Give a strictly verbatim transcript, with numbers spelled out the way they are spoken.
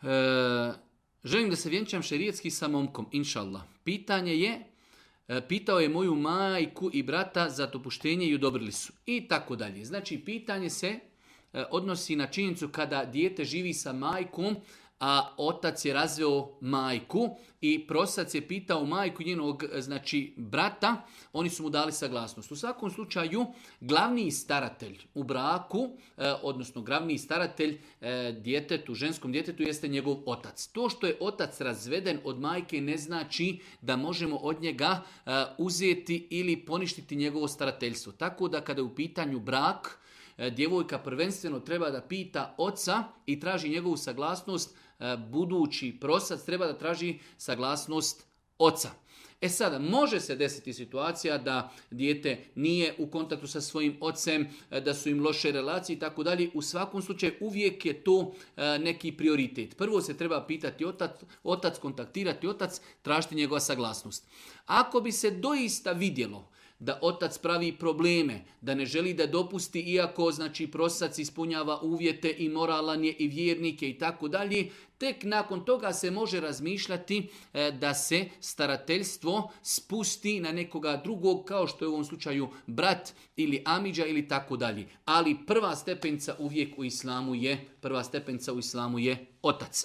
E, želim da se vjenčam šerijetski sa momkom, inša Allah. Pitanje je, e, pitao je moju majku i brata za dopuštenje i odobrili su. I tako dalje. Znači, pitanje se e, odnosi na činjenicu kada dijete živi sa majkom, a otac je razveo majku i prosac je pitao majku njenog, znači, brata, oni su mu dali saglasnost. U svakom slučaju, glavni staratelj u braku, eh, odnosno glavni staratelj eh, djetetu, ženskom djetetu, jeste njegov otac. To što je otac razveden od majke ne znači da možemo od njega eh, uzeti ili poništiti njegovo starateljstvo. Tako da kada je u pitanju brak, eh, djevojka prvenstveno treba da pita oca i traži njegovu saglasnost. Budući prosac treba da traži saglasnost oca. E sada, može se desiti situacija da dijete nije u kontaktu sa svojim ocem, da su im loše relacije i tako dalje. U svakom slučaju uvijek je to neki prioritet. Prvo se treba pitati otac, otac kontaktirati otac, tražiti njegova saglasnost. Ako bi se doista vidjelo da otac pravi probleme, da ne želi da dopusti, iako znači prosac ispunjava uvjete i moralan je i vjernike i tako dalje, tek nakon toga se može razmišljati e, da se starateljstvo spusti na nekoga drugog, kao što je u ovom slučaju brat ili amidža ili tako dalje. Ali prva stepenica uvijek u islamu je, prva stepenica u islamu je otac.